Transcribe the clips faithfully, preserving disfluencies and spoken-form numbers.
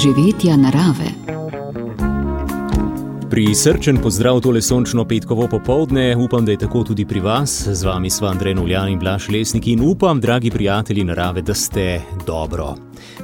doživetja narave. Prisrčen pozdrav tole sončno petkovo popoldne, upam, da je tako tudi pri vas. Z vami sva Andrej Novljan in Blaž Lesnik in upam, dragi prijatelji narave, da ste dobro.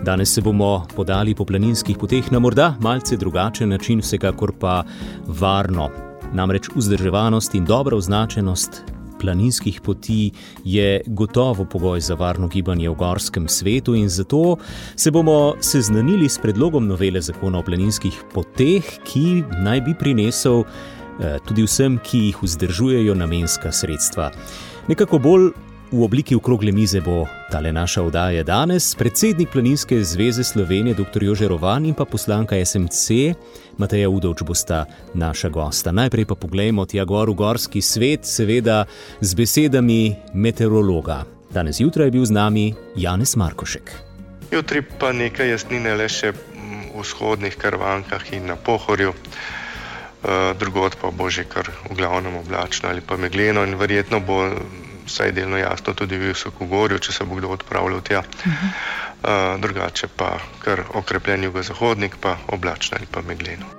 Danes se bomo podali po planinskih poteh na morda malce drugačen način, vsekakor pa varno. Namreč vzdrževanost in dobra označenost planinskih poti je gotovo pogoj za varno gibanje v gorskem svetu in zato se bomo seznanili s predlogom novele zakona o planinskih poteh, ki naj bi prinesel eh, tudi vsem, ki jih vzdržujejo, namenska sredstva. Nekako bolj v obliki okrogle mize bo tale naša oddaja danes. Predsednik Planinske zveze Slovenije, doktor Jože Rovan in pa poslanka es em ce, Mateja Udovč, bosta naša gosta. Najprej pa poglejmo tja gor v gorski svet, seveda z besedami meteorologa. Danes jutraj je bil z nami Janez Markošek. Jutri pa nekaj jasnine le še v vzhodnih Karvankah in na Pohorju. Drugod pa bo že kar v glavnem oblačno ali pa megleno in verjetno bo vsaj delno jasno tudi v Visokogorju, če se bo kdo odpravljal tja. Uh-huh. Uh, drugače pa kar okrepljen jugozahodnik, pa oblačno ali pa megleno.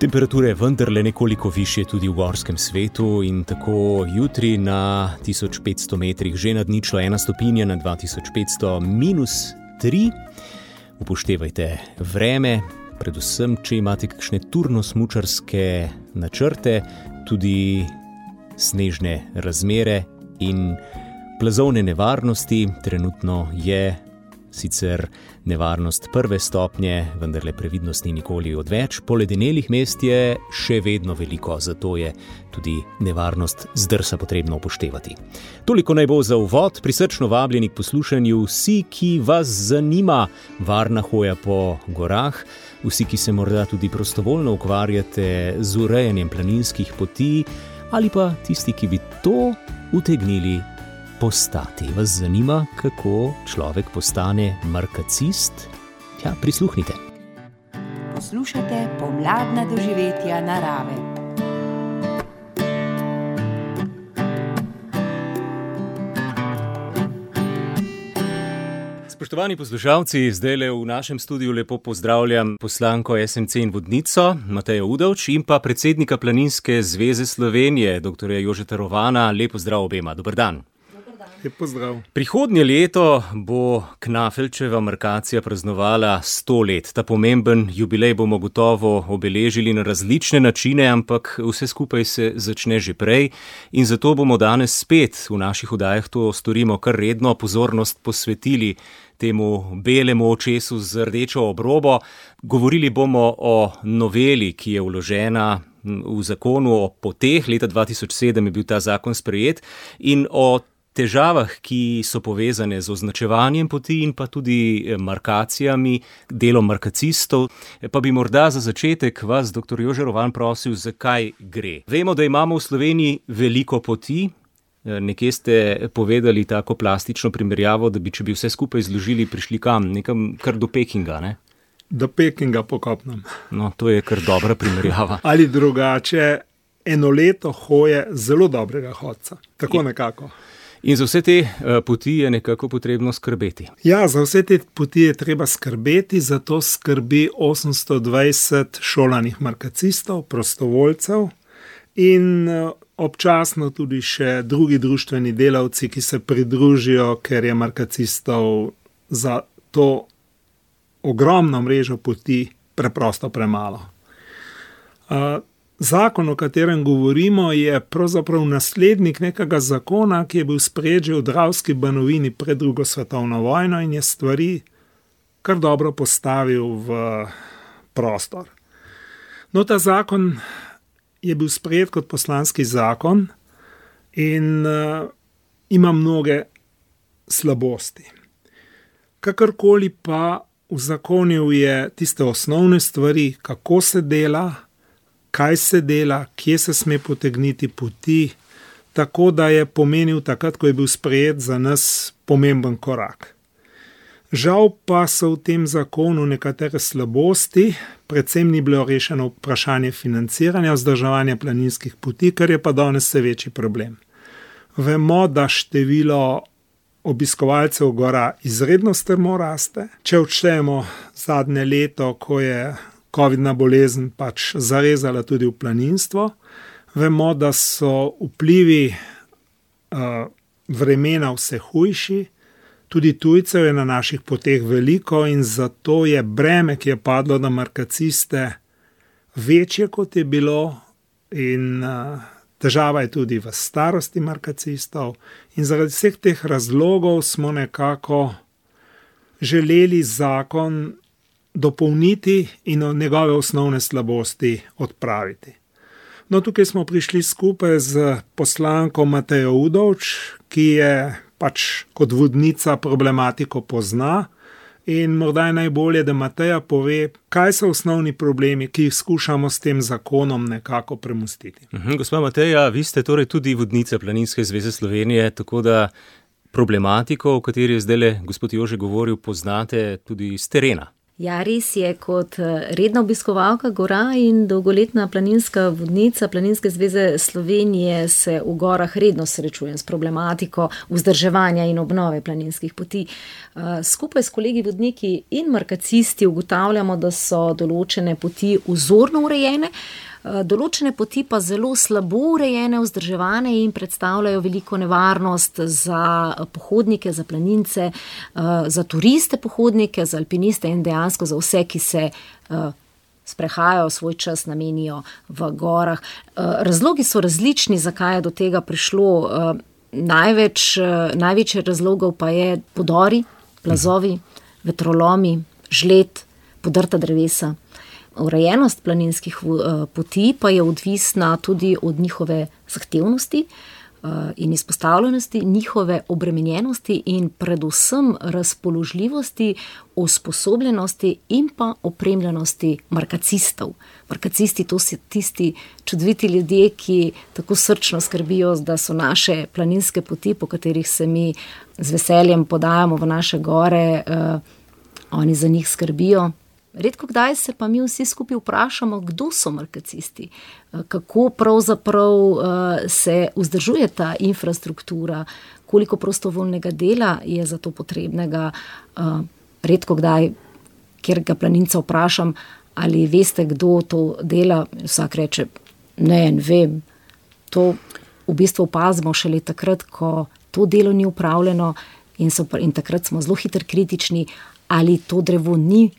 Temperature je vendarle nekoliko višje tudi v gorskem svetu in tako jutri na tisoč petsto metrih že nad ničlo ena stopinja, na dva tisoč petsto minus tri. Upoštevajte vreme, predvsem, če imate kakšne turno-smučarske načrte, tudi snežne razmere in plazovne nevarnosti. Trenutno je sicer nevarnost prve stopnje, vendarle previdnost ni nikoli odveč. Poledenelih mest je še vedno veliko, zato je tudi nevarnost zdrsa potrebno upoštevati. Toliko naj bo za uvod, prisrčno vabljeni k poslušanju vsi, ki vas zanima varna hoja po gorah, vsi, ki se morda tudi prostovoljno ukvarjate z urejanjem planinskih poti, ali pa tisti, ki bi to utegnili postati. Vas zanima, kako človek postane markacist? Ja, prisluhnite. Poslušate pomladna doživetja narave. Spoštovani poslušalci, zdajle v našem studiu lepo pozdravljam poslanko es em ce in vodnico Matejo Udovč in pa predsednika Planinske zveze Slovenije, doktorja Jožeta Rovana. Lep pozdrav obema. Dober dan. Lep pozdrav. Prihodnje leto bo Knafelčeva markacija praznovala sto let. Ta pomemben jubilej bomo gotovo obeležili na različne načine, ampak vse skupaj se začne že prej in zato bomo danes spet v naših oddajah to storimo kar redno, pozornost posvetili temu belemu očesu z rdečo obrobo. Govorili bomo o noveli, ki je vložena v zakonu o poteh. Leta dva tisoč sedem je bil ta zakon sprejet in o težavah, ki so povezane z označevanjem poti in pa tudi markacijami, delom markacistov. Pa bi morda za začetek vas, doktor Jože Rovan, prosil, zakaj gre. Vemo, da imamo v Sloveniji veliko poti. Nekje ste povedali tako plastično primerjavo, da bi, če bi vse skupaj zložili, prišli kam? Nekam kar do Pekinga, ne? Do Pekinga po kopnem. No, to je kar dobra primerjava. Ali drugače, eno leto hoje zelo dobrega hodca. Tako nekako. In za vse te poti je nekako potrebno skrbeti. Ja, za vse te poti je treba skrbeti, zato skrbi osemsto dvajset šolanih markacistov, prostovoljcev in občasno tudi še drugi društveni delavci, ki se pridružijo, ker je markacistov za to ogromno mrežo poti preprosto premalo. Zakon, o katerem govorimo, je pravzaprav naslednik nekega zakona, ki je bil sprejet že v Dravski banovini pred drugo svetovno vojno in je stvari kar dobro postavil v prostor. No, ta zakon je bil sprejet kot poslanski zakon in uh, ima mnoge slabosti. Kakorkoli pa uzakonil je tiste osnovne stvari, kako se dela, kaj se dela, kje se sme potegniti poti, tako da je pomenil takrat, ko je bil sprejet, za nas pomemben korak. Žal pa so v tem zakonu nekatere slabosti, predvsem ni bilo rešeno vprašanje financiranja, vzdrževanja planinskih poti, kar je pa danes vse večji problem. Vemo, da število obiskovalcev gora izredno strmo raste. Če odštejemo zadnje leto, ko je covidna bolezen pač zarezala tudi v planinstvo, vemo, da so vplivi uh, vremena vse hujši, tudi tujcev je na naših poteh veliko in zato je breme, ki je padlo na markaciste, večje, kot je bilo, in uh, težava je tudi v starosti markacistov in zaradi vseh teh razlogov smo nekako želeli zakon dopolniti in njegove osnovne slabosti odpraviti. No, tukaj smo prišli skupaj z poslanko Matejo Udovč, ki je pač kot vodnica problematiko pozna in morda je najbolje, da Mateja pove, kaj so osnovni problemi, ki jih skušamo s tem zakonom nekako premostiti. Mhm, gospa Mateja, vi ste torej tudi vodnica Planinske zveze Slovenije, tako da problematiko, o kateri je zdajle gospod Jože govoril, poznate tudi z terena. Ja, res je, kot redna obiskovalka gora in dolgoletna planinska vodnica Planinske zveze Slovenije se v gorah redno srečujem s problematiko vzdrževanja in obnove planinskih poti. Skupaj s kolegi vodniki in markacisti ugotavljamo, da so določene poti vzorno urejene, določene poti pa zelo slabo urejene, vzdrževane in predstavljajo veliko nevarnost za pohodnike, za planince, za turiste pohodnike, za alpiniste in dejansko za vse, ki se sprehajajo, svoj čas namenijo v gorah. Razlogi so različni, zakaj je do tega prišlo. Največ, največje razlogov pa je podori, plazovi, vetrolomi, žled, podrta drevesa. Urejenost planinskih poti pa je odvisna tudi od njihove zahtevnosti in izpostavljenosti, njihove obremenjenosti in predvsem razpoložljivosti, usposobljenosti in pa opremljenosti markacistov. Markacisti, to so tisti čudoviti ljudje, ki tako srčno skrbijo, da so naše planinske poti, po katerih se mi z veseljem podajamo v naše gore, oni za njih skrbijo. Redko kdaj se pa mi vsi skupaj vprašamo, kdo so markacisti, kako pravzaprav se vzdržuje ta infrastruktura, koliko prostovoljnega dela je za to potrebnega. Redko kdaj, kjer ga planinca vprašam, ali veste, kdo to dela, vsak reče, ne, ne vem. To v bistvu opazimo šele takrat, ko to delo ni upravljeno in, so, in takrat smo zelo hitro kritični, ali to drevo ni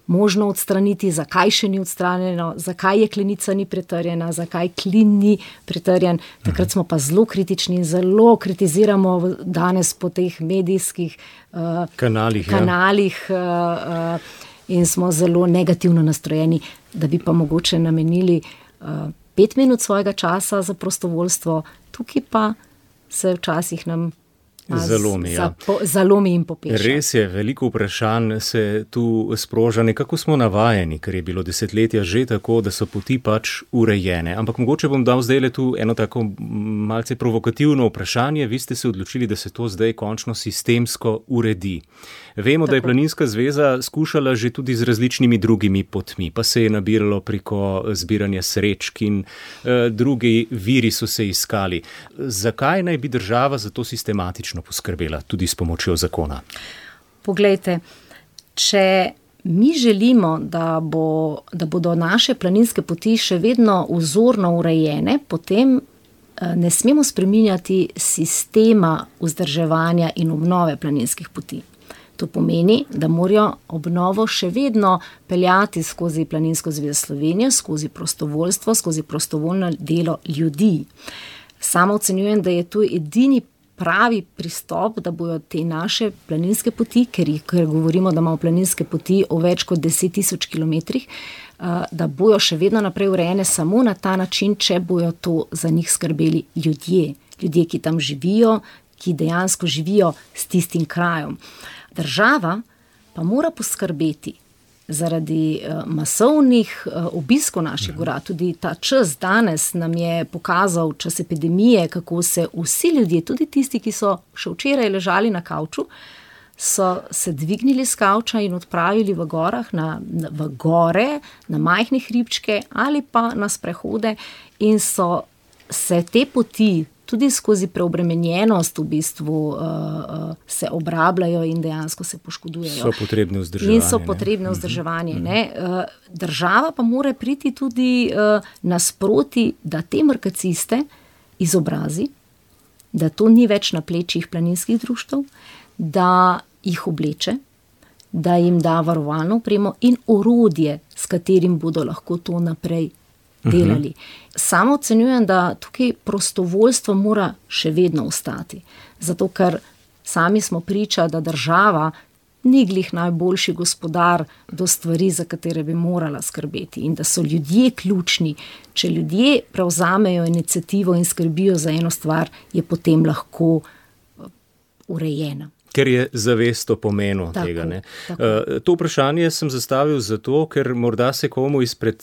možno odstraniti, zakaj še ni odstranjeno, zakaj jeklenica ni pretrjena, zakaj klin ni pretrjen. Takrat smo pa zelo kritični in zelo kritiziramo danes po teh medijskih uh, kanalih, kanalih ja. uh, uh, in smo zelo negativno nastrojeni, da bi pa mogoče namenili uh, pet minut svojega časa za prostovoljstvo. Tukaj pa se včasih nam Zalomi, ja. Zapo, zalomi in popeša. Res je, veliko vprašanj se tu sproža, nekako smo navajeni, ker je bilo desetletja že tako, da so poti pač urejene. Ampak mogoče bom dal zdaj le tu eno tako malce provokativno vprašanje. Vi ste se odločili, da se to zdaj končno sistemsko uredi. Vemo, tako, da je Planinska zveza skušala že tudi z različnimi drugimi potmi, pa se je nabiralo preko zbiranja srečk in eh, drugi viri so se iskali. Zakaj naj bi država za to sistematično poskrbela, tudi s pomočjo zakona? Poglejte, če mi želimo, da, bo, da bodo naše planinske poti še vedno vzorno urejene, potem ne smemo spreminjati sistema vzdrževanja in obnove planinskih poti. To pomeni, da morajo obnovo še vedno peljati skozi Planinsko zvezo Slovenije, skozi prostovoljstvo, skozi prostovoljno delo ljudi. Sama ocenjujem, da je to edini pravi pristop, da bojo te naše planinske poti, ker, ker govorimo, da imamo planinske poti o več kot deset tisoč kilometrih, da bojo še vedno naprej urejene samo na ta način, če bojo to za njih skrbeli ljudje. Ljudje, ki tam živijo, ki dejansko živijo s tistim krajem. Država pa mora poskrbeti zaradi masovnih obiskov naših gora. Tudi ta čas danes nam je pokazal, čas epidemije, kako se vsi ljudje, tudi tisti, ki so še včeraj ležali na kavču, so se dvignili s kavča in odpravili v gorah, na, v gore, na majhne hribčke ali pa na sprehode in so se te poti tudi skozi preobremenjenost v bistvu uh, uh, se obrabljajo in dejansko se poškodujejo. So potrebne vzdrževanje. In so potrebne vzdrževanje. Ne? Uh, država pa mora priti tudi uh, nasproti, da te markaciste izobrazi, da to ni več na plečih planinskih društev, da jih obleče, da jim da varovalno opremo in orodje, s katerim bodo lahko to naprej delali. Uh-huh. Samo ocenjujem, da tukaj prostovoljstvo mora še vedno ostati. Zato, ker sami smo priča, da država ni glih najboljši gospodar do stvari, za katere bi morala skrbeti. In da so ljudje ključni. Če ljudje prevzamejo iniciativo in skrbijo za eno stvar, je potem lahko urejena. Ker je zavest o pomenu tako, tega. Ne? Uh, to vprašanje sem zastavil zato, ker morda se komu izpred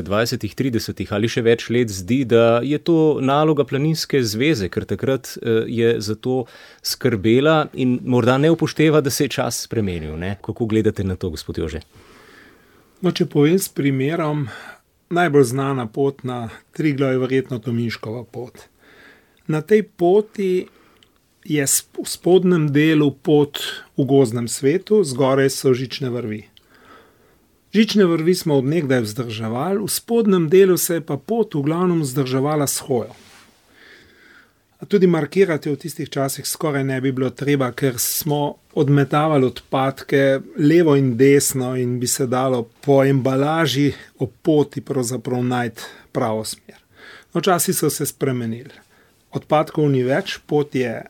dvajsetih, tridesetih ali še več let zdi, da je to naloga planinske zveze, ker takrat uh, je za to skrbela in morda ne upošteva, da se je čas spremenil. Ne? Kako gledate na to, gospod Jože? No, če povem s primerom, najbolj znana pot na Triglav je verjetno Tominškova pot. Na tej poti je v spodnjem delu pot v gozdnem svetu, zgoraj so žične vrvi. Žične vrvi smo od nekdaj vzdrževali, v spodnjem delu se je pa pot v glavnem vzdrževala s hojo. A tudi markirati v tistih časih skoraj ne bi bilo treba, ker smo odmetavali odpadke levo in desno in bi se dalo po embalaži ob poti pravzaprav najti pravo smer. No, časi so se spremenili. Odpadkov ni več, pot je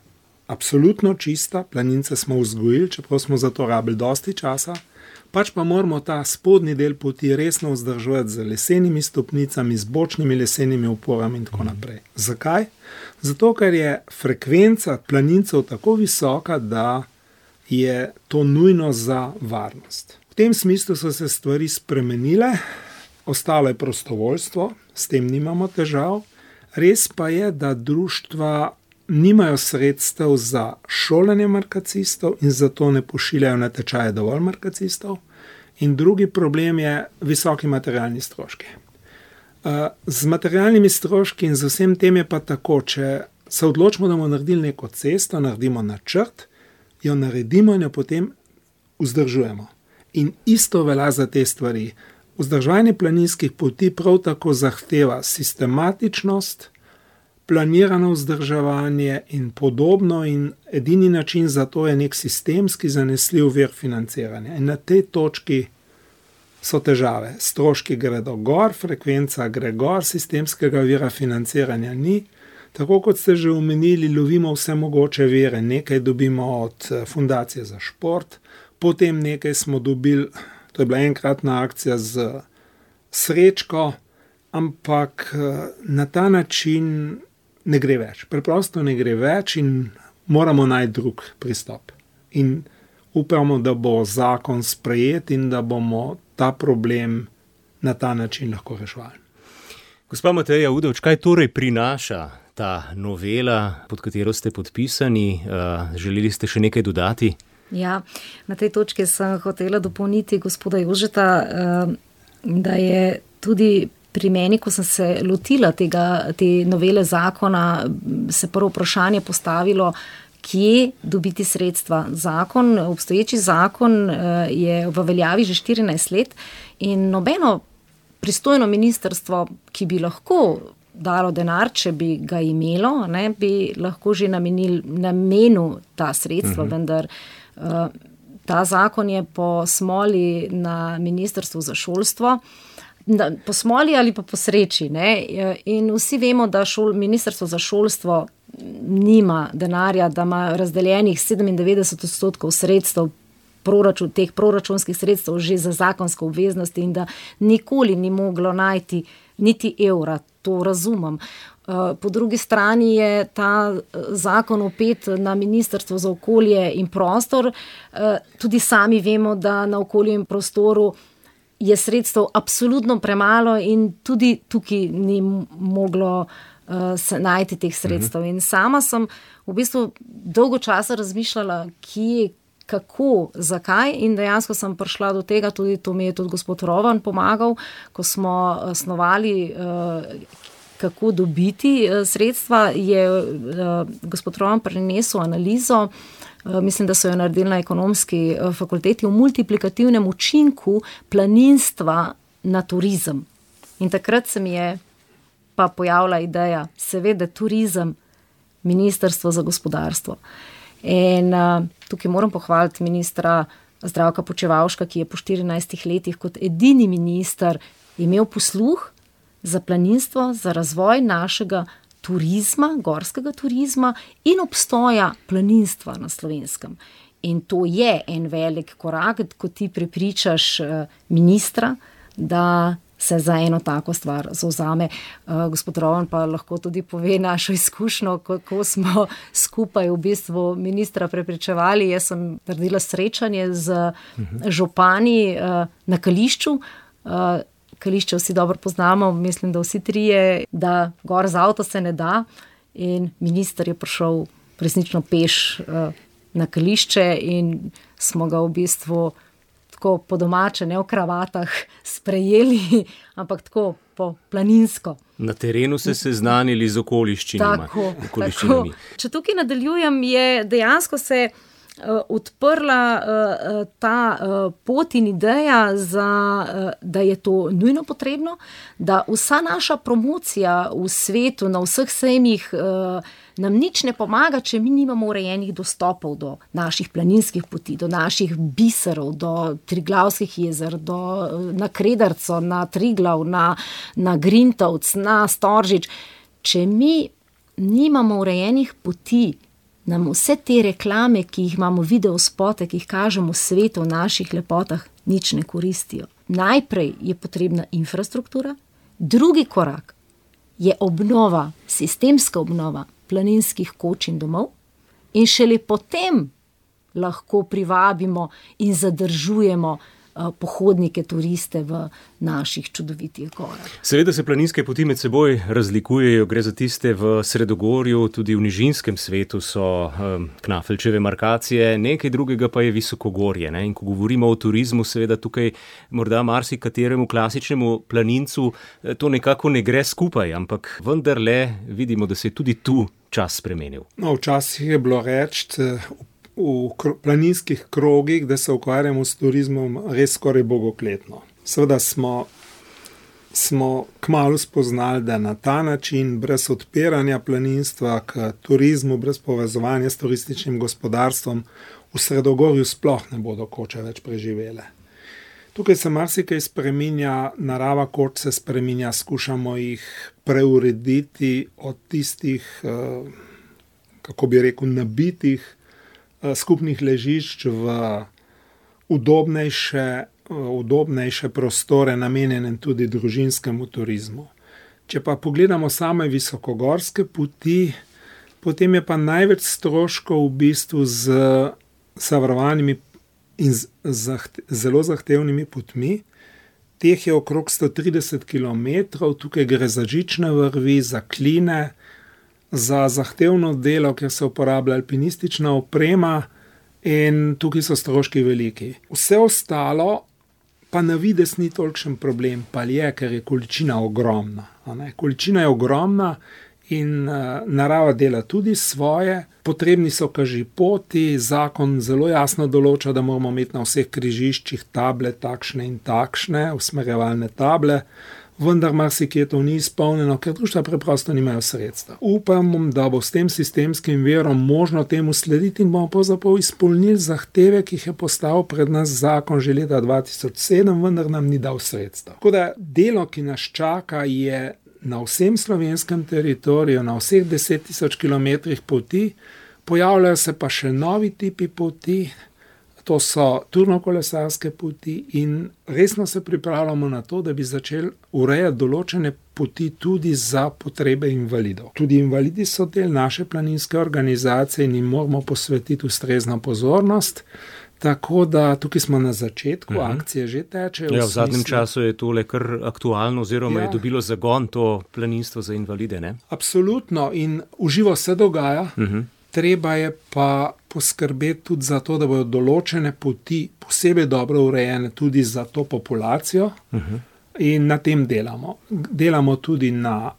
absolutno čista, planince smo vzgojili, čeprav smo za to rabili dosti časa, pač pa moramo ta spodnji del poti resno vzdrževati z lesenimi stopnicami, z bočnimi lesenimi oporami in tako naprej. Zakaj? Zato, ker je frekvenca planincev tako visoka, da je to nujno za varnost. V tem smislu so se stvari spremenile, ostalo je prostovoljstvo, s tem nimamo težav, res pa je, da društva nimajo sredstev za šolanje markacistov in zato ne pošiljajo na tečaje dovolj markacistov. In drugi problem je visoki materialni stroški. Z materialnimi stroški in z vsem tem je pa tako, če se odločimo, da bomo naredili neko cesto, naredimo načrt, jo naredimo in jo potem vzdržujemo. In isto velja za te stvari. Vzdrževanje planinskih poti prav tako zahteva sistematičnost, planirano vzdrževanje in podobno in edini način za to je nek sistemski zanesljiv vir financiranja. In na tej točki so težave. Stroški gredo gor, frekvenca gre gor, sistemskega vira financiranja ni. Tako kot ste že omenili, lovimo vse mogoče vire. Nekaj dobimo od Fundacije za šport, potem nekaj smo dobili, to je bila enkratna akcija z srečko, ampak na ta način ne gre več. Preprosto ne gre več in moramo najti drug pristop. In upamo, da bo zakon sprejet in da bomo ta problem na ta način lahko reševali. Gospa Mateja Udovč, kaj torej prinaša ta novela, pod katero ste podpisani? Želeli ste še nekaj dodati? Ja, na tej točki sem hotela dopolniti gospoda Jožeta, da je tudi pri meni, ko sem se lotila tega, te novele zakona, se prvo vprašanje postavilo, kje dobiti sredstva. Zakon, obstoječi zakon je v veljavi že štirinajst let in nobeno pristojno ministrstvo, ki bi lahko dalo denar, če bi ga imelo, ne, bi lahko že namenil, namenil ta sredstva, uh-huh. vendar uh, ta zakon je po smoli na Ministrstvu za šolstvo, po smoli ali pa po sreči. Ne? In vsi vemo, da šol, Ministrstvo za šolstvo nima denarja, da ima razdeljenih sedemindevetdeset odstotkov sredstev, proračun, teh proračunskih sredstev že za zakonske obveznosti in da nikoli ni moglo najti niti evra, to razumem. Po drugi strani je ta zakon opet na Ministrstvo za okolje in prostor. Tudi sami vemo, da na okolju in prostoru je sredstev absolutno premalo in tudi tukaj ni moglo uh, se najti teh sredstev. In sama sem v bistvu dolgo časa razmišljala, kje, kako, zakaj in dejansko sem prišla do tega, tudi to mi je tudi gospod Rovan pomagal, ko smo snovali uh, kako dobiti sredstva, je gospod Roman prinesel analizo, mislim, da so jo naredili na ekonomski fakulteti, o multiplikativnem učinku planinstva na turizem. In takrat se mi je pa pojavila ideja, seveda turizem, Ministrstvo za gospodarstvo. In uh, tukaj moram pohvaliti ministra Zdravka Počivalška, ki je po štirinajstih letih kot edini minister imel posluh za planinstvo, za razvoj našega turizma, gorskega turizma in obstoja planinstva na Slovenskem. In to je en velik korak, ko ti prepričaš uh, ministra, da se za eno tako stvar zauzame. Uh, gospod Rovan pa lahko tudi pove našo izkušnjo, kako smo skupaj v bistvu ministra prepričevali. Jaz sem naredila srečanje z župani uh, na Kališču. Uh, Kališče vsi dobro poznamo, mislim, da vsi trije, da gor z avto se ne da. In minister je prišel resnično peš uh, na Kališče in smo ga v bistvu tako po domače, ne v kravatah, sprejeli, ampak tako po planinsko. Na terenu se seznanili z okoliščinami. Tako, tako. Če tukaj nadaljujem, je dejansko se uh, odprla uh, ta uh, pot in ideja, za, uh, da je to nujno potrebno, da vsa naša promocija v svetu, na vseh sejmih, uh, nam nič ne pomaga, če mi nimamo urejenih dostopov do naših planinskih poti, do naših biserov, do Triglavskih jezer, do, na Kredarco, na Triglav, na, na Grintovc, na Storžič. Če mi nimamo urejenih poti, nam vse te reklame, ki jih imamo, video spote, ki jih kažemo v svetu, v naših lepotah, nič ne koristijo. Najprej je potrebna infrastruktura, drugi korak je obnova, sistemska obnova planinskih koč in domov in šele potem lahko privabimo in zadržujemo uh, pohodnike, turiste v naših čudovitih gorah. Seveda se planinske poti med seboj razlikujejo, gre za tiste v Sredogorju, tudi v nižinskem svetu so um, Knafelčeve markacije, nekaj drugega pa je Visokogorje. Ne? In ko govorimo o turizmu, seveda tukaj morda marsikateremu klasičnemu planincu to nekako ne gre skupaj, ampak vendarle vidimo, da se je tudi tu čas spremenil. No, včasih je bilo reči v planinskih krogih, da se ukvarjamo s turizmom res skoraj bogokletno. Seveda smo, smo kmalu spoznali, da na ta način, brez odpiranja planinstva k turizmu, brez povezovanja s turističnim gospodarstvom, v Sredogorju sploh ne bodo koče več preživele. Tukaj se marsikaj spreminja, narava koč se spreminja, skušamo jih preurediti od tistih, kako bi rekel, nabitih skupnih ležišč v udobnejše, udobnejše prostore, namenjene tudi družinskemu turizmu. Če pa pogledamo same visokogorske poti, potem je pa največ stroškov v bistvu z zavarovanimi in z zahte, zelo zahtevnimi potmi. Teh je okrog sto trideset kilometrov, tukaj gre za žične vrvi, za kline, za zahtevno delo, ker se uporablja alpinistična oprema in tukaj so stroški veliki. Vse ostalo pa na vides ni tolikšen problem, pa je, ker je količina ogromna. Količina je ogromna in uh, narava dela tudi svoje. Potrebni so kažipoti, zakon zelo jasno določa, da moramo imeti na vseh križiščih table takšne in takšne, usmerjevalne table, vendar marsikje to ni izpolnjeno, ker društva preprosto nimajo sredstev. Upam, da bo s tem sistemskim virom možno temu slediti in bomo pravzaprav izpolnili zahteve, ki jih je postavil pred nas zakon že leta dva tisoč sedem, vendar nam ni dal sredstev. Tako da delo, ki nas čaka, je na vsem slovenskem teritoriju, na vseh deset tisoč kilometrih poti, pojavljajo se pa še novi tipi poti, to so turnokolesarske poti in resno se pripravljamo na to, da bi začeli urejati določene poti tudi za potrebe invalidov. Tudi invalidi so del naše planinske organizacije in jim moramo posvetiti ustrezno pozornost. Tako da tukaj smo na začetku, uh-huh. akcije že tečejo. Ja, v zadnjem času je tole kar aktualno oziroma ja. je dobilo zagon to planinstvo za invalide, ne? Absolutno in v živo se dogaja. Uh-huh. Treba je pa poskrbeti tudi za to, da bodo določene poti posebej dobro urejene tudi za to populacijo uh-huh. in na tem delamo. Delamo tudi na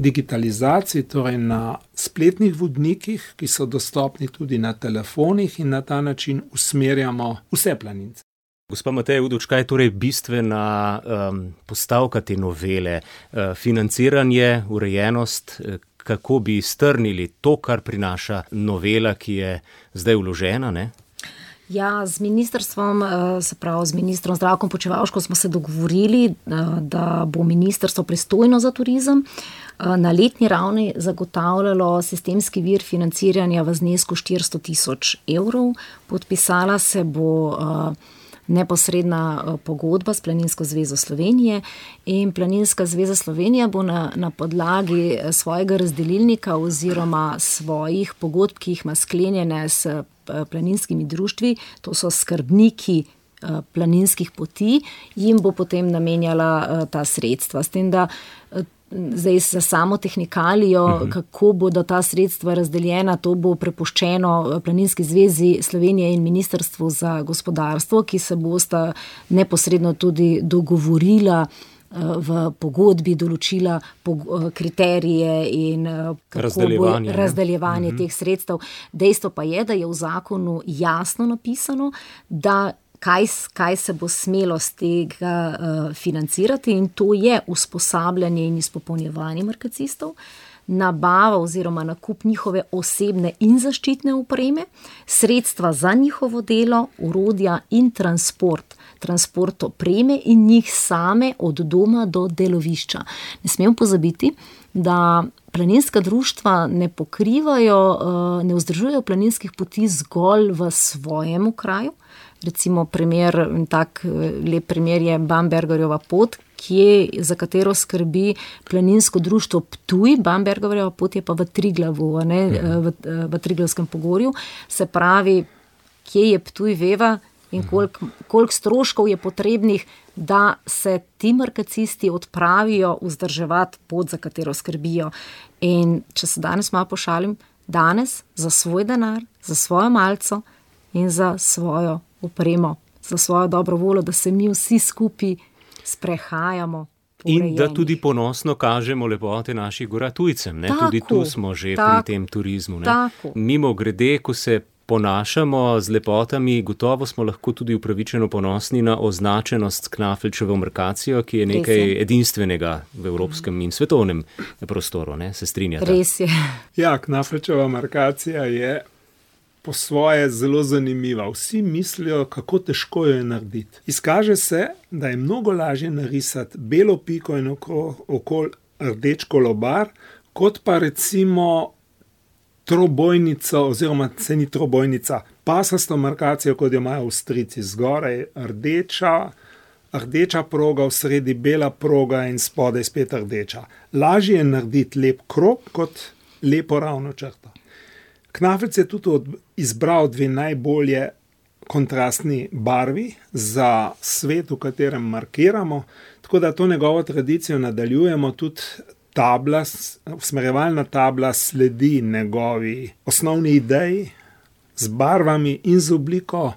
digitalizaciji, torej na spletnih vodnikih, ki so dostopni tudi na telefonih, in na ta način usmerjamo vse planince. Gospa Mateja Udovič, kaj je torej bistvena um, postavka te novele? Uh, financiranje, urejenost, uh, kako bi strnili to, kar prinaša novela, ki je zdaj vložena, ne? Ja, z ministrstvom, se pravi z ministrom Zdravkom Počivalškom smo se dogovorili, da bo ministrstvo pristojno za turizem na letni ravni zagotavljalo sistemski vir financiranja v znesku štiristo tisoč evrov. Podpisala se bo neposredna pogodba s Planinsko zvezo Slovenije in Planinska zveza Slovenija bo na, na podlagi svojega razdelilnika oziroma svojih pogodb, ki jih ima sklenjene s planinskimi društvi, to so skrbniki planinskih poti, jim bo potem namenjala ta sredstva. S tem, da zdaj za samo tehnikalijo, uh-huh. kako bodo ta sredstva razdeljena, to bo prepuščeno Planinski zvezi Slovenije in Ministrstvu za gospodarstvo, ki se bosta neposredno tudi dogovorila v pogodbi, določila kriterije in razdeljevanje, razdeljevanje uh-huh. teh sredstev. Dejstvo pa je, da je v zakonu jasno napisano, da Kaj, kaj se bo smelo z tega uh, financirati, in to je usposabljanje in izpopolnjevanje markacistov, nabava oziroma nakup njihove osebne in zaščitne opreme, sredstva za njihovo delo, orodja in transport, transport opreme in njih same od doma do delovišča. Ne smemo pozabiti, da planinska društva ne pokrivajo, uh, ne vzdržujejo planinskih poti zgolj v svojem kraju. Recimo primer, tak lep primer je Bambergerjeva pot, kje, za katero skrbi planinsko društvo Ptuj. Bambergerjeva pot je pa v Triglavu, ne, v, v Triglavskem pogorju. Se pravi, kje je Ptuj, veva, in koliko, koliko stroškov je potrebnih, da se ti markacisti odpravijo vzdrževati pot, za katero skrbijo. In če se danes malo pošalim, danes za svoj denar, za svojo malco in za svojo opremo, za svojo dobro voljo, da se mi vsi skupaj sprehajamo. In da tudi ponosno kažemo lepote naših gora tujcem. Ne? Tako, tudi tu smo že tako, pri tem turizmu. Ne? Tako. Mimo grede, ko se ponašamo z lepotami, gotovo smo lahko tudi upravičeno ponosni na označenost s Knafelčevo markacijo, ki je nekaj je. edinstvenega v evropskem in svetovnem prostoru. Ne? Se strinjate? Res je. Ja, Knafelčeva markacija je po svoje zelo zanimiva. Vsi mislijo, kako težko jo je narediti. Izkaže se, da je mnogo lažje narisati belo piko in okoli rdeč kolobar, kot pa recimo trobojnico, oziroma se ni trobojnica, pasasto markacijo, kot jo imajo Avstrijci. Zgoraj rdeča, rdeča proga, v sredi bela proga in spodaj spet rdeča. Lažje je narediti lep krog, kot lepo ravno črto. Knafelc je tudi od, izbral dve najbolje kontrastni barvi za svet, v katerem markiramo, tako da to njegovo tradicijo nadaljujemo. Tudi tabla, usmerjevalna tabla sledi njegovi osnovni ideji z barvami in z obliko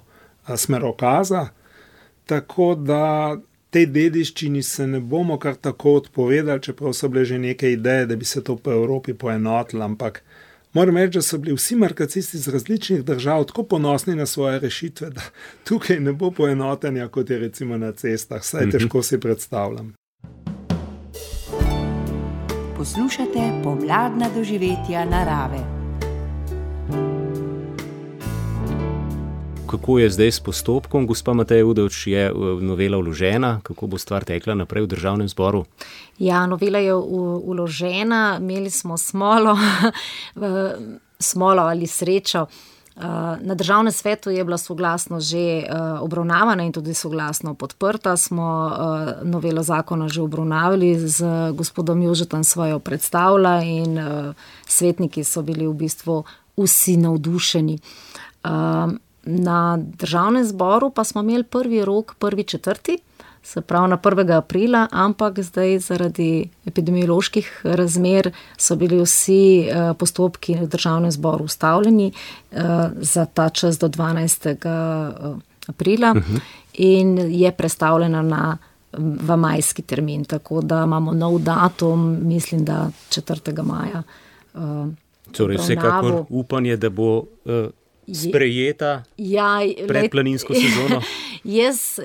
smerokaza, tako da tej dediščini se ne bomo kar tako odpovedali, čeprav so bile že neke ideje, da bi se to po Evropi poenotilo, ampak moram reči, da so bili vsi markacisti iz različnih držav tako ponosni na svoje rešitve, da tukaj ne bo poenotenja, kot je recimo na cestah. Saj težko si predstavljam. Poslušate pomladna doživetja narave. Kako je zdaj s postopkom? Gospa Mateja Udovič, je novela vložena? Kako bo stvar tekla naprej v Državnem zboru? Ja, novela je vložena. Imeli smo smolo, smolo ali srečo. Na Državnem svetu je bila soglasno že obravnavana in tudi soglasno podprta. Smo novelo zakona že obravnavali, z gospodom Jožetom svojo predstavila in svetniki so bili v bistvu vsi navdušeni. Na Državnem zboru pa smo imeli prvi rok, prvi četrti, se pravi na prvega aprila, ampak zdaj zaradi epidemioloških razmer so bili vsi postopki v Državnem zboru ustavljeni za ta čas do dvanajstega aprila uh-huh. in je prestavljena na v majski termin, tako da imamo nov datum, mislim, da četrtega maja. Uh, torej, vsekakor upanje, da bo uh, sprejeta ja, predplaninsko sezono. Jaz,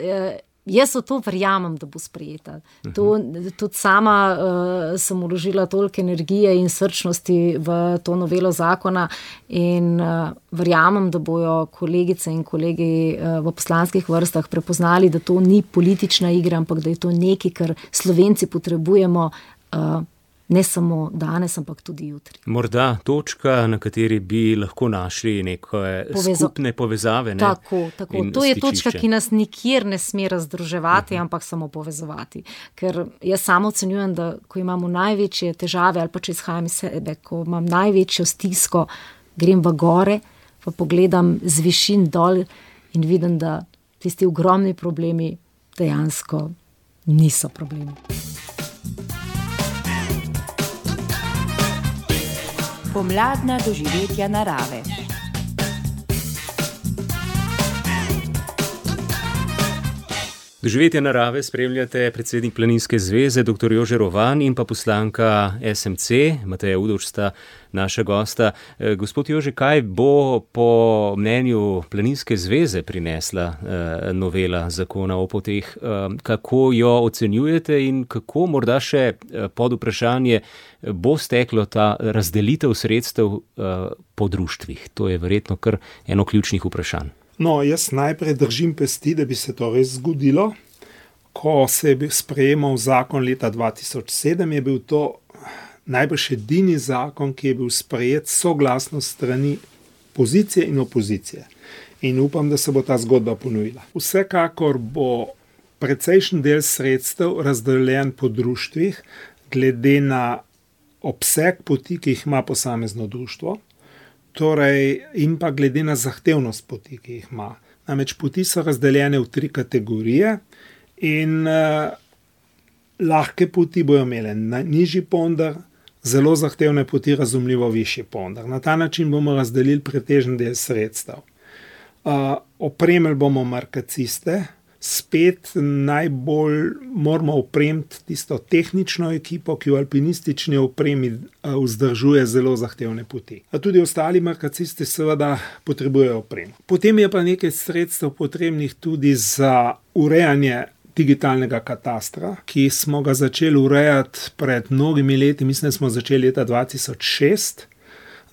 jaz v to verjamem, da bo sprejeta. To, tudi sama uh, sem vložila toliko energije in srčnosti v to novelo zakona in uh, verjamem, da bojo kolegice in kolegi uh, v poslanskih vrstah prepoznali, da to ni politična igra, ampak da je to nekaj, kar Slovenci potrebujemo uh, ne samo danes, ampak tudi jutri. Morda točka, na kateri bi lahko našli neke Povezo... skupne povezave. Ne? Tako, tako. To je točka, ki nas nikjer ne sme razdruževati, uh-huh. ampak samo povezovati. Ker jaz samo ocenjujem, da ko imamo največje težave, ali pa če izhajam iz sebe, ko imam največjo stisko, grem v gore, pa pogledam z višin dol in vidim, da tisti ogromni problemi dejansko niso problemi. Pomladna doživetja narave. Doživetja narave spremljate predsednik Planinske zveze dr. Jože Rovan in pa poslanka es em ce, Mateja Udovč sta naša gosta. Gospod Jože, kaj bo po mnenju Planinske zveze prinesla eh, novela zakona o poteh? Eh, kako jo ocenjujete in kako morda še pod vprašanje bo steklo ta razdelitev sredstev eh, po društvih? To je verjetno kar eno ključnih vprašanj. No, jaz najprej držim pesti, da bi se to res zgodilo. Ko se je sprejemal zakon leta dva tisoč sedem, je bil to najbrž edini zakon, ki je bil sprejet soglasno strani pozicije in opozicije. In upam, da se bo ta zgodba ponovila. Vsekakor bo precejšen del sredstev razdeljen po društvih, glede na obseg poti, ki jih ima posamezno društvo. Torej, in pa glede na zahtevnost poti, ki jih ima. Namreč poti so razdeljene v tri kategorije in uh, lahke poti bojo imele nižji ponder, zelo zahtevne poti razumljivo višji ponder. Na ta način bomo razdelili pretežen del sredstev. Uh, opremili bomo markaciste, spet najbolj moramo opremiti tisto tehnično ekipo, ki v alpinistični opremi vzdržuje zelo zahtevne poti. A tudi ostali markacisti seveda potrebujejo opremo. Potem je pa nekaj sredstev potrebnih tudi za urejanje digitalnega katastra, ki smo ga začeli urejati pred mnogimi leti, mislim, da smo začeli leta dva tisoč šest.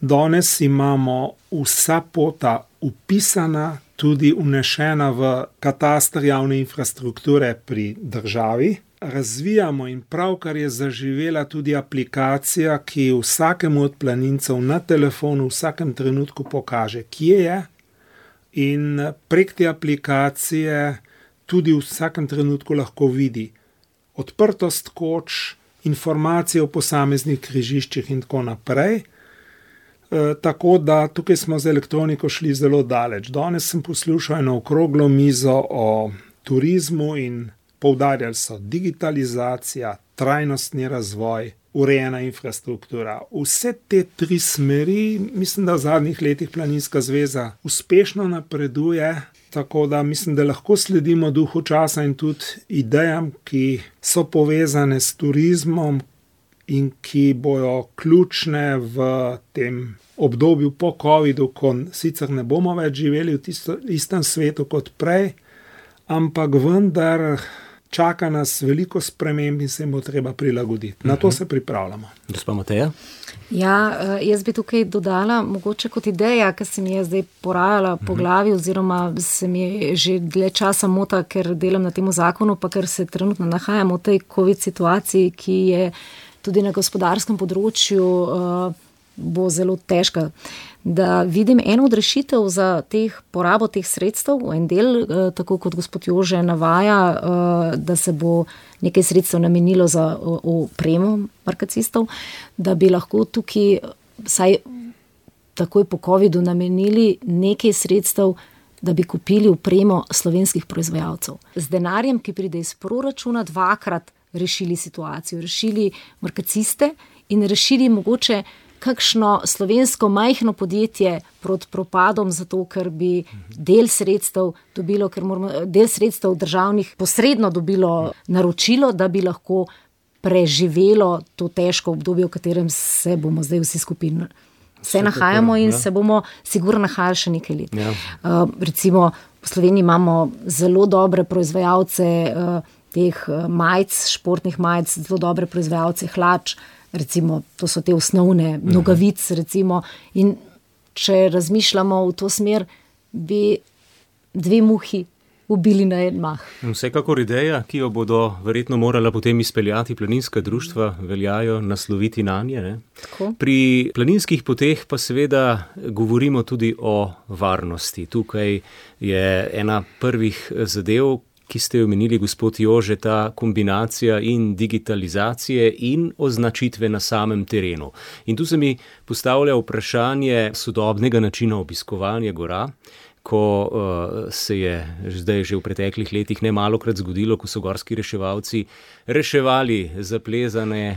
Danes imamo vsa pota upisana, tudi vnešena v katastr javne infrastrukture pri državi. Razvijamo in pravkar je zaživela tudi aplikacija, ki vsakemu od planincev na telefonu v vsakem trenutku pokaže, kje je, in prek te aplikacije tudi v vsakem trenutku lahko vidi odprtost koč, informacije o posameznih križiščih in tako naprej. E, tako da tukaj smo z elektroniko šli zelo daleč. Danes sem poslušal eno okroglo mizo o turizmu in poudarjali so digitalizacija, trajnostni razvoj, urejena infrastruktura. Vse te tri smeri, mislim, da v zadnjih letih Planinska zveza uspešno napreduje, tako da mislim, da lahko sledimo duhu časa in tudi idejam, ki so povezane s turizmom, in ki bojo ključne v tem obdobju po covidu, ko sicer ne bomo več živeli v tisto, istem svetu kot prej, ampak vendar čaka nas veliko sprememb in se jim bo treba prilagoditi. Na to se pripravljamo. Gospa Mateja? Ja, jaz bi tukaj dodala mogoče kot ideja, ki se mi je zdaj porajala po glavi oziroma se mi je že dlje časa mota, ker delam na tem zakonu, pa ker se trenutno nahajamo v tej COVID situaciji, ki je tudi na gospodarskem področju uh, bo zelo težka. Da vidim eno od rešitev za teh, porabo teh sredstev, en del, uh, tako kot gospod Jože navaja, uh, da se bo nekaj sredstev namenilo za opremo markacistov, da bi lahko tukaj vsaj takoj po covidu namenili nekaj sredstev, da bi kupili opremo slovenskih proizvajalcev. Z denarjem, ki pride iz proračuna, dvakrat rešili situacijo, rešili markaciste in rešili mogoče kakšno slovensko majhno podjetje proti propadom, zato ker bi del sredstev dobilo, ker moramo, del sredstev državnih posredno dobilo naročilo, da bi lahko preživelo to težko obdobje, v katerem se bomo zdaj vsi skupaj se nahajamo in ja. se bomo sigurno nahajali še nekaj let. Ja. Uh, recimo v Sloveniji imamo zelo dobre proizvajalce uh, teh majic, športnih majic, zelo dobre proizvajalce hlač, recimo to so te osnovne nogavic, recimo, in če razmišljamo v to smer, bi dve muhi ubili na en mah. Vsekakor ideja, ki jo bodo verjetno morala potem izpeljati planinska društva, veljajo nasloviti nanje. Ne? Pri planinskih poteh pa seveda govorimo tudi o varnosti. Tukaj je ena prvih zadev, ki ste jo omenili, gospod Jože, ta kombinacija in digitalizacije in označitve na samem terenu. In tu se mi postavlja vprašanje sodobnega načina obiskovanja gora, ko uh, se je zdaj že v preteklih letih nemalokrat zgodilo, ko so gorski reševalci reševali zaplezane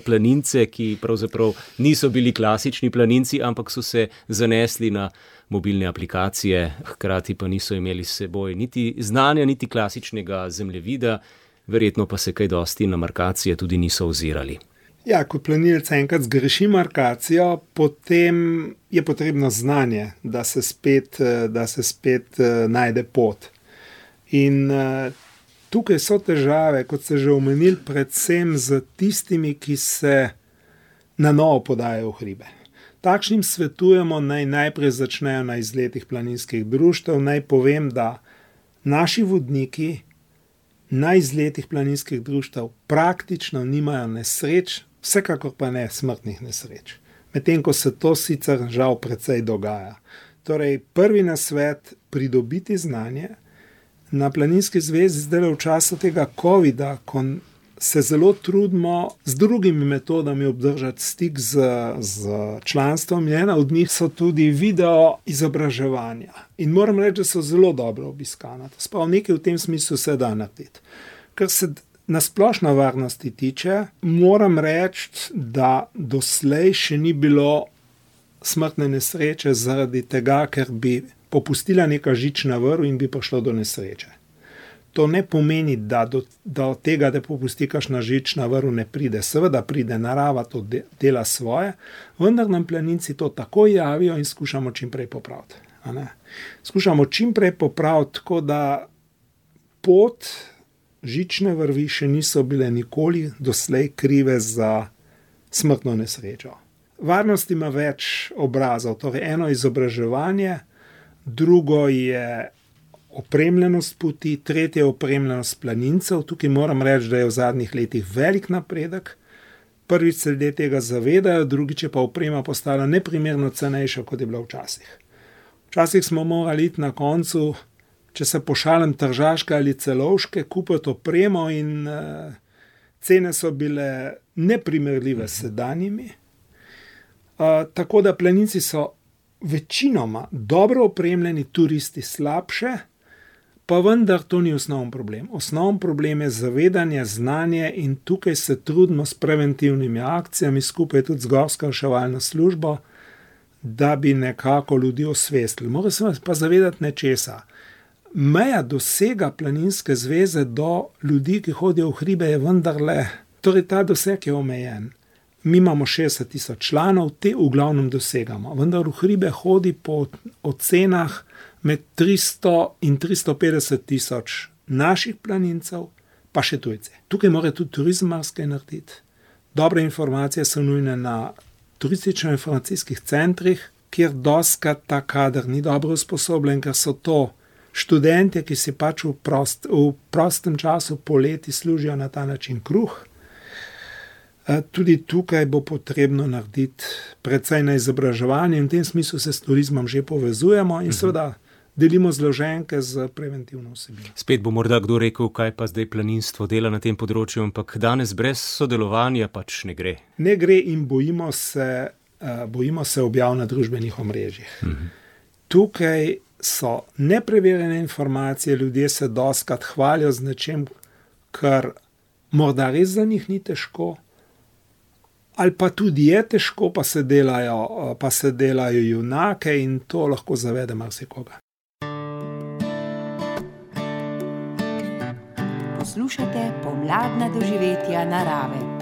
planince, ki pravzaprav niso bili klasični planinci, ampak so se zanesli na mobilne aplikacije, hkrati pa niso imeli s seboj niti znanja, niti klasičnega zemljevida, verjetno pa se kaj dosti na markacije tudi niso ozirali. Ja, ko planilec enkrat zgreši markacijo, potem je potrebno znanje, da se spet, da se spet najde pot. In tukaj so težave, kot ste že omenili, predvsem z tistimi, ki se na novo podajajo v hribe. Takšnim svetujemo, naj najprej začnejo na izletih planinskih društev. Naj povem, da naši vodniki na izletih planinskih društev praktično nimajo nesreč, vsekakor pa ne smrtnih nesreč. Medtem ko se to sicer žal precej dogaja. Torej, prvi nasvet, pridobiti znanje. Na Planinski zvezi zdaj v času tega covida, ko se zelo trudimo z drugimi metodami obdržati stik z, z članstvom, ena od njih so tudi video izobraževanja. In moram reči, da so zelo dobro obiskana. Sprav nekaj v tem smislu se da narediti. Ker se na splošno varnosti tiče, moram reči, da doslej še ni bilo smrtne nesreče zaradi tega, ker bi popustila neka žična vrv in bi prišlo do nesreče. To ne pomeni, da do, da od tega, da popusti kakšna žična vrv, ne pride. Seveda pride, narava to de, dela svoje, vendar nam planinci to tako javijo in skušamo čim prej popraviti. A ne? Skušamo čim prej popraviti, tako da pot žične vrvi še niso bile nikoli doslej krive za smrtno nesrečo. Varnost ima več obrazov, torej eno izobraževanje, drugo je opremljenost poti, tretje je opremljenost planincev. Tukaj moram reči, da je v zadnjih letih velik napredek. Prvič se ljudje tega zavedajo, drugič je pa oprema postala neprimerno cenejša, kot je bila včasih. Včasih smo morali iti na koncu, če se pošalim, Tržaške ali Celovške, kupiti opremo in uh, cene so bile neprimerljive s sedanjimi. Uh, tako da planinci so večinoma dobro opremljeni, turisti slabše, pa vendar to ni osnovni problem. Osnovni problem je zavedanje, znanje in tukaj se trudimo s preventivnimi akcijami, skupaj tudi z Gorsko reševalno službo, da bi nekako ljudi osvestili. Mora se pa zavedati nečesa. Meja dosega Planinske zveze do ljudi, ki hodijo v hribe, je vendarle, torej ta doseg je omejen. Mi imamo šestdeset tisoč članov, te v glavnem dosegamo, vendar v hribe hodi po ocenah med tristo in tristo petdeset tisoč naših planincev, pa še tujci. Tukaj mora tudi turizem marsikaj narediti. Dobre informacije so nujne na turistično-informacijskih centrih, kjer dostikrat ta kader ni dobro usposobljen, ker so to študentje, ki si pač v, prost, v prostem času poleti služijo na ta način kruh. Tudi tukaj bo potrebno narediti precej na izobraževanje in v tem smislu se s turizmom že povezujemo in seveda delimo zloženke z preventivno vsebino. Spet bo morda kdo rekel, kaj pa zdaj planinstvo dela na tem področju, ampak danes brez sodelovanja pač ne gre. Ne gre in bojimo se, bojimo se objav na družbenih omrežjih. Mhm. Tukaj so nepreverjene informacije, ljudje se dostikrat hvalijo z nečem, kar morda res za njih ni težko, ali pa tudi je težko, pa se delajo, pa se delajo junake in to lahko zavede marsikoga. Poslušate pomladna doživetja narave.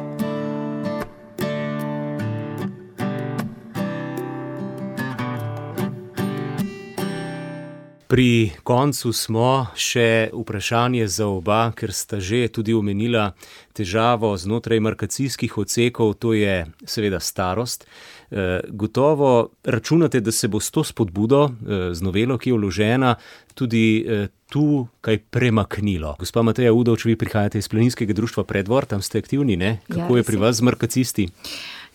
Pri koncu smo, še vprašanje za oba, ker sta že tudi omenila težavo znotraj markacijskih odsekov, to je seveda starost. E, gotovo računate, da se bo s to spodbudo, e, z novelo, ki je vložena, tudi e, tu kaj premaknilo. Gospa Mateja Udovč, vi prihajate iz Planinskega društva Preddvor, tam ste aktivni, ne? Kako ja, je pri vas z markacisti?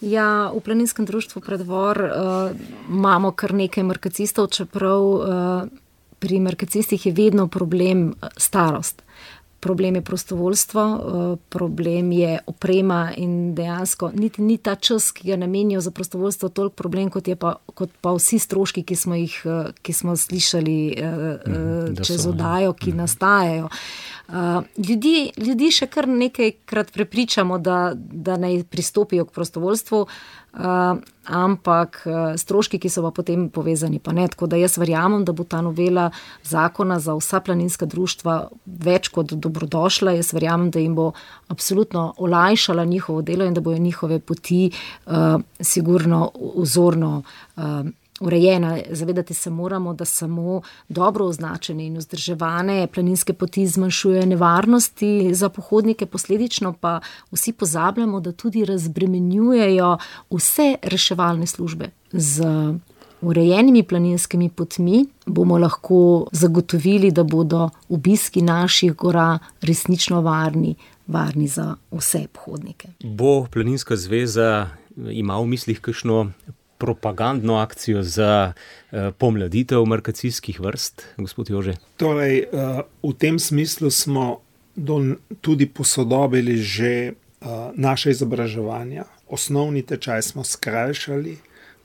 Ja, v Planinskem društvu Preddvor uh, imamo kar nekaj markacistov, čeprav uh, pri markacistih je vedno problem starost. Problem je prostovoljstvo, problem je oprema in dejansko niti ni ta čas, ki ga namenijo za prostovoljstvo, toliko problem, kot je pa, kot pa vsi stroški, ki smo jih, ki smo slišali mm, čez oddajo, ki mm. nastajajo. Ljudi, ljudi še kar nekajkrat prepričamo, da, da naj pristopijo k prostovoljstvu, Uh, ampak uh, stroški, ki so pa potem povezani, pa ne. Tako da jaz verjamem, da bo ta novela zakona za vsa planinska društva več kot dobrodošla. Jaz verjamem, da jim bo absolutno olajšala njihovo delo in da bojo njihove poti uh, sigurno vzorno uh, urejena. Zavedati se moramo, da samo dobro označene in vzdrževane planinske poti zmanjšujejo nevarnosti za pohodnike, posledično pa vsi pozabljamo, da tudi razbremenjujejo vse reševalne službe. Z urejenimi planinskimi potmi bomo lahko zagotovili, da bodo obiski naših gora resnično varni, varni za vse pohodnike. Bo Planinska zveza ima v mislih kakšno propagandno akcijo za uh, pomladitev markacijskih vrst, gospod Jože? Torej, uh, v tem smislu smo do, tudi posodobili že uh, naše izobraževanja. Osnovni tečaj smo skrajšali,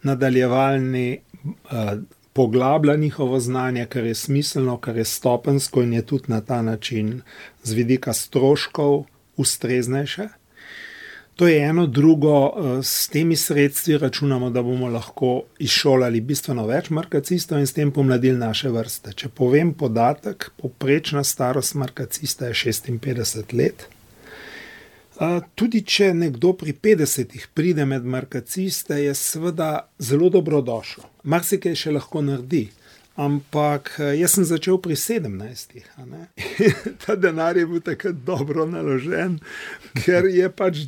nadaljevalni uh, poglablja njihovo znanje, kar je smiselno, kar je stopensko in je tudi na ta način z vidika stroškov ustreznejše. To je eno, drugo, s temi sredstvi računamo, da bomo lahko izšolali bistveno več markacistov in s tem pomladili naše vrste. Če povem podatek, povprečna starost markacista je šestinpetdeset let. Tudi če nekdo pri petdesetih pride med markaciste, je seveda zelo dobrodošel. Marsikaj še lahko naredi, ampak jaz sem začel pri sedemnajstih. A ne? Ta denar je bil takrat dobro naložen, ker je pač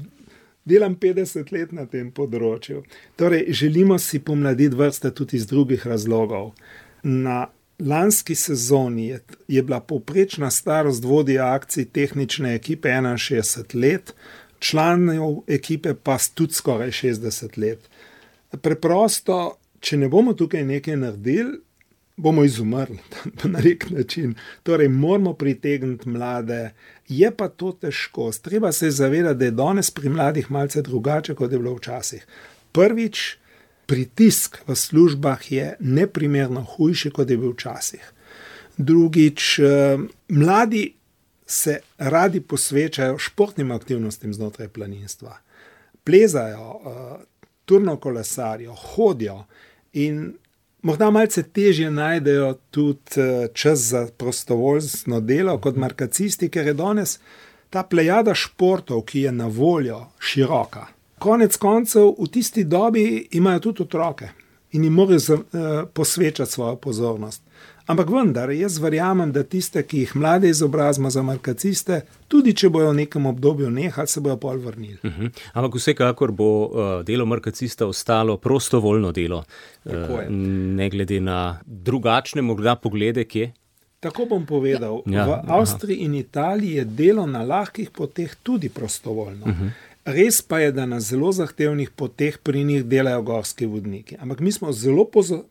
delam petdeset let na tem področju. Torej, želimo si pomladiti vrste tudi iz drugih razlogov. Na lanski sezoni je, je bila povprečna starost vodja akcij tehnične ekipe enainšestdeset let, članov ekipe pa tudi skoraj šestdeset let. Preprosto, če ne bomo tukaj nekaj naredili, bomo izumrli na nek način. Torej, moramo pritegniti mlade, je pa to težko. Treba se zavedati, da je danes pri mladih malce drugače, kot je bilo včasih. Prvič, pritisk v službah je neprimerno hujši, kot je bil včasih. Drugič, mladi se radi posvečajo športnim aktivnostim znotraj planinstva. Plezajo, turno kolesarijo, hodijo in morda malce težje najdejo tudi čas za prostovoljstvo delo kot markacisti, ker je danes ta plejada športov, ki je na voljo, široka. Konec koncev v tisti dobi imajo tudi otroke in jim morajo posvečati svojo pozornost. Ampak vendar, jaz verjamem, da tiste, ki jih mlade izobrazimo za markaciste, tudi če bojo v nekem obdobju nehali, se bojo pol vrnili. Uh-huh. Ampak vsekakor bo uh, delo markacista ostalo prostovoljno delo, uh, ne glede na drugačne morda poglede, kje? Tako bom povedal. Ja. V Avstriji in Italiji je delo na lahkih poteh tudi prostovoljno. Uh-huh. Res pa je, da na zelo zahtevnih poteh pri njih delajo gorski vodniki. Ampak mi smo zelo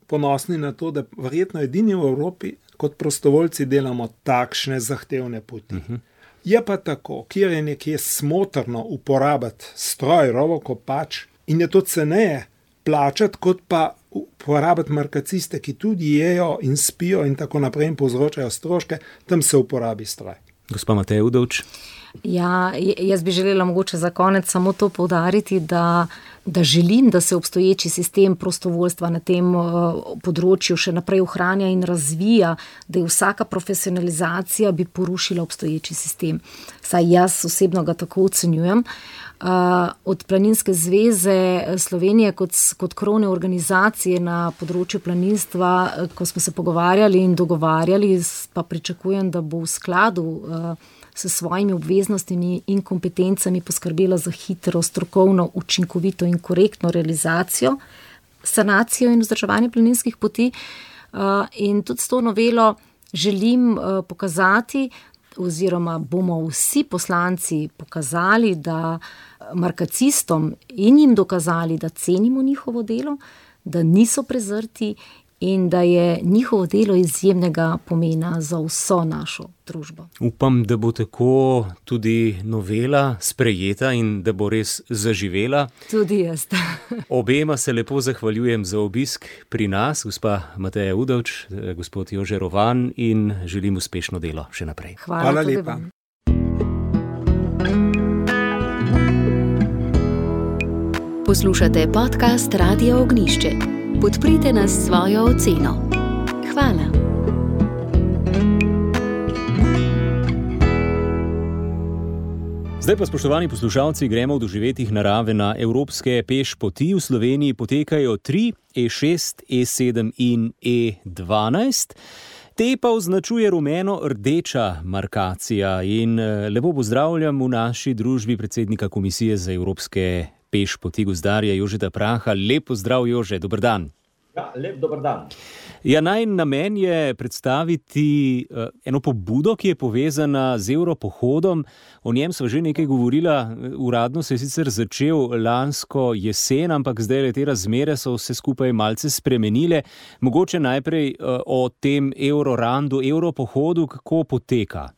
ponosni na to, da verjetno edini v Evropi kot prostovoljci delamo takšne zahtevne poti. Uh-huh. Je pa tako, kjer je nekje smotrno uporabiti stroj, rovokopač in je to ceneje plačati, kot pa uporabiti markaciste, ki tudi jejo in spijo in tako naprej in povzročajo stroške, tam se uporabi stroj. Gospa Mateja Udovč. Ja, jaz bi želela mogoče za konec samo to poudariti, da, da želim, da se obstoječi sistem prostovoljstva na tem področju še naprej ohranja in razvija, da je vsaka profesionalizacija bi porušila obstoječi sistem. Saj jaz osebno ga tako ocenjujem. Od Planinske zveze Slovenije kot, kot krovne organizacije na področju planinstva, ko smo se pogovarjali in dogovarjali, pa pričakujem, da bo v skladu s svojimi obveznostimi in kompetencami poskrbela za hitro, strokovno, učinkovito in korektno realizacijo, sanacijo in vzdrževanje planinskih poti. In tudi s to novelo želim pokazati, oziroma bomo vsi poslanci pokazali, da markacistom in jim dokazali, da cenimo njihovo delo, da niso prezrti in da je njihovo delo izjemnega pomena za vso našo družbo. Upam, da bo tako tudi novela sprejeta in da bo res zaživela. Tudi jaz. Obema se lepo zahvaljujem za obisk pri nas, gospa Mateja Udovč, gospod Jože Rovan, in želim uspešno delo še naprej. Hvala, Hvala tudi lepa. vam. Poslušate podcast Radia Ognišče. Podprite nas s svojo oceno. Hvala. Zdaj pa, spoštovani poslušalci, gremo v doživetjih narave na evropske peš poti. V Sloveniji potekajo tri, E šest, E sedem in E dvanajst. Te pa označuje rumeno-rdeča markacija in lepo pozdravljam v naši družbi predsednika Komisije za evropske peš poti, gozdarja Jožeta Praha. Lep pozdrav, Jože, dober dan. Ja, lep dober dan. Ja, najin namen je predstaviti uh, eno pobudo, ki je povezana z Evropohodom. O njem sva že nekaj govorila, uradno se je sicer začel lansko jesen, ampak zdaj te razmere so vse skupaj malce spremenile. Mogoče najprej uh, o tem Eurorandu, Evropohodu, kako poteka?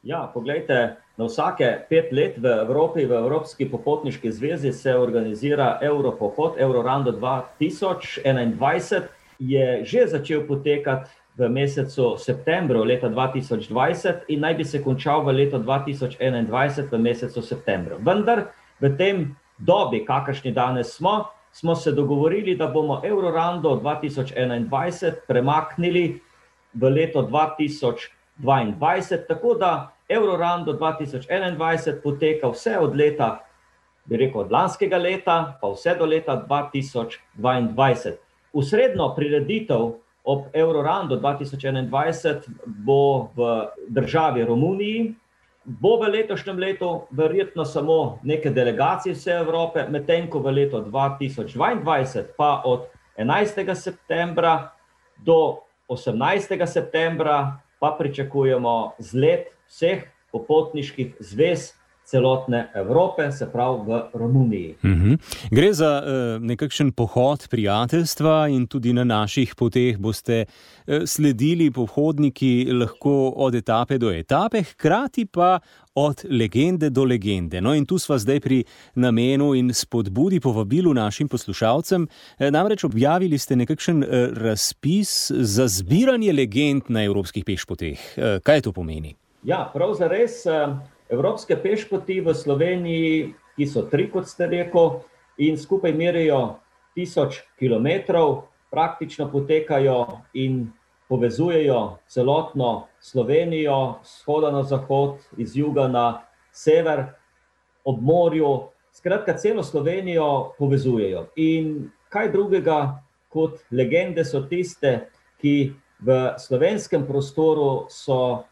Ja, poglejte, na vsake pet let v Evropi, v Evropski popotniški zvezi se organizira Evropohod, Eurorando dva tisoč enaindvajset, je že začel potekati v mesecu septembru leta dva tisoč dvajset in naj bi se končal v letu dva tisoč enaindvajset v mesecu septembru. Vendar v tem dobi, kakršni danes smo, smo se dogovorili, da bomo Eurorando dva tisoč enaindvajset premaknili v leto dva tisoč dvaindvajset, tako da Eurorando dva tisoč enaindvajset poteka vse od leta, bi rekel, od lanskega leta, pa vse do leta dva tisoč dvaindvajset. Usredno prireditev ob Eurorando dva tisoč enaindvajset bo v državi Romuniji, bo v letošnjem letu verjetno samo neke delegacije vse Evrope, medtem ko v letu dva tisoč dvaindvajset pa od enajstega septembra do osemnajstega septembra pa pričakujemo zlet vseh popotniških zvez celotne Evrope, se pravi v Romuniji. Mhm. Gre za uh, nekakšen pohod prijateljstva in tudi na naših poteh boste uh, sledili pohodniki lahko od etape do etape, hkrati pa od legende do legende. No in tu sva zdaj pri namenu in spodbudi povabilu našim poslušalcem. E, namreč objavili ste nekakšen e, razpis za zbiranje legend na evropskih pešpoteh. E, kaj to pomeni? Ja, prav zares. Evropske pešpoti v Sloveniji, ki so tri, kot ste rekel, in skupaj merijo tisoč kilometrov, praktično potekajo in povezujejo celotno Slovenijo, z vzhoda na zahod, iz juga na sever, ob morju, skratka celo Slovenijo povezujejo. In kaj drugega kot legende so tiste, ki v slovenskem prostoru so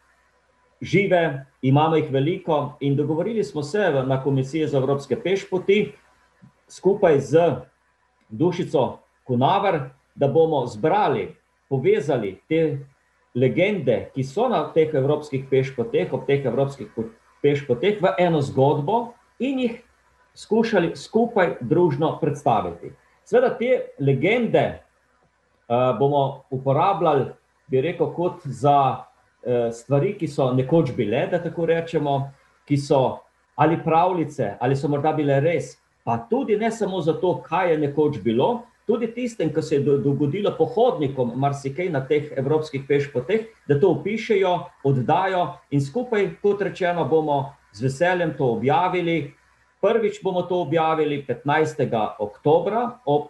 žive, imamo jih veliko in dogovorili smo se na Komisiji za evropske pešpoti skupaj z Dušico Kunaver, da bomo zbrali, povezali te legende, ki so na teh evropskih pešpoteh, ob teh evropskih pešpoteh v eno zgodbo in jih skušali skupaj družno predstaviti. Seveda te legende uh, bomo uporabljali, bi rekel, kot za stvari, ki so nekoč bile, da tako rečemo, ki so ali pravljice, ali so morda bile res, pa tudi ne samo zato, kaj je nekoč bilo, tudi tistem, ki se je dogodilo pohodnikom marsikaj na teh evropskih pešpoteh, da to opišejo, oddajo in skupaj, kot rečeno, bomo z veseljem to objavili. Prvič bomo to objavili petnajstega oktobra ob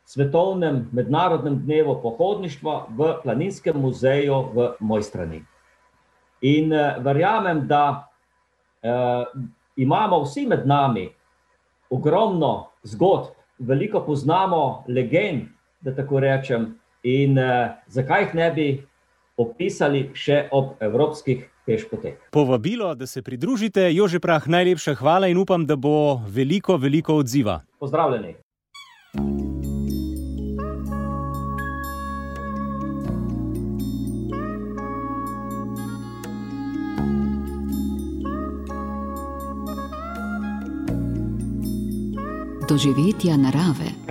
Svetovnem mednarodnem dnevu pohodništva v Planinskem muzeju v Mojstrani. In eh, verjamem, da eh, imamo vsi med nami ogromno zgodb, veliko poznamo legend, da tako rečem, in eh, zakaj jih ne bi opisali še ob evropskih pešpoteh. Povabilo, da se pridružite. Jože Prah, najlepša hvala in upam, da bo veliko, veliko odziva. Pozdravljeni. Doživetja narave.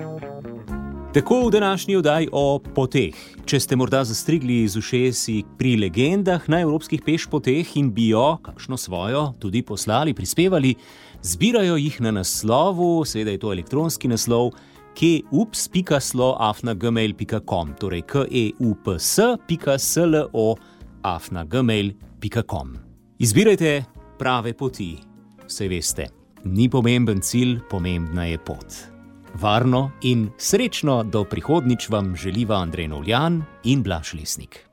Tako v današnji oddaji o poteh. Če ste morda zastrigli z ušesi pri legendah na evropskih pešpoteh in bi jo, kakšno svojo, tudi poslali, prispevali, zbirajo jih na naslovu, seveda je to elektronski naslov, keups pika slo afna gmail pika com, torej keups pika slo afna gmail pika com. Izbirajte prave poti, saj veste, ni pomemben cilj, pomembna je pot. Varno in srečno do prihodnjič vam želiva Andrej Novljan in Blaž Lesnik.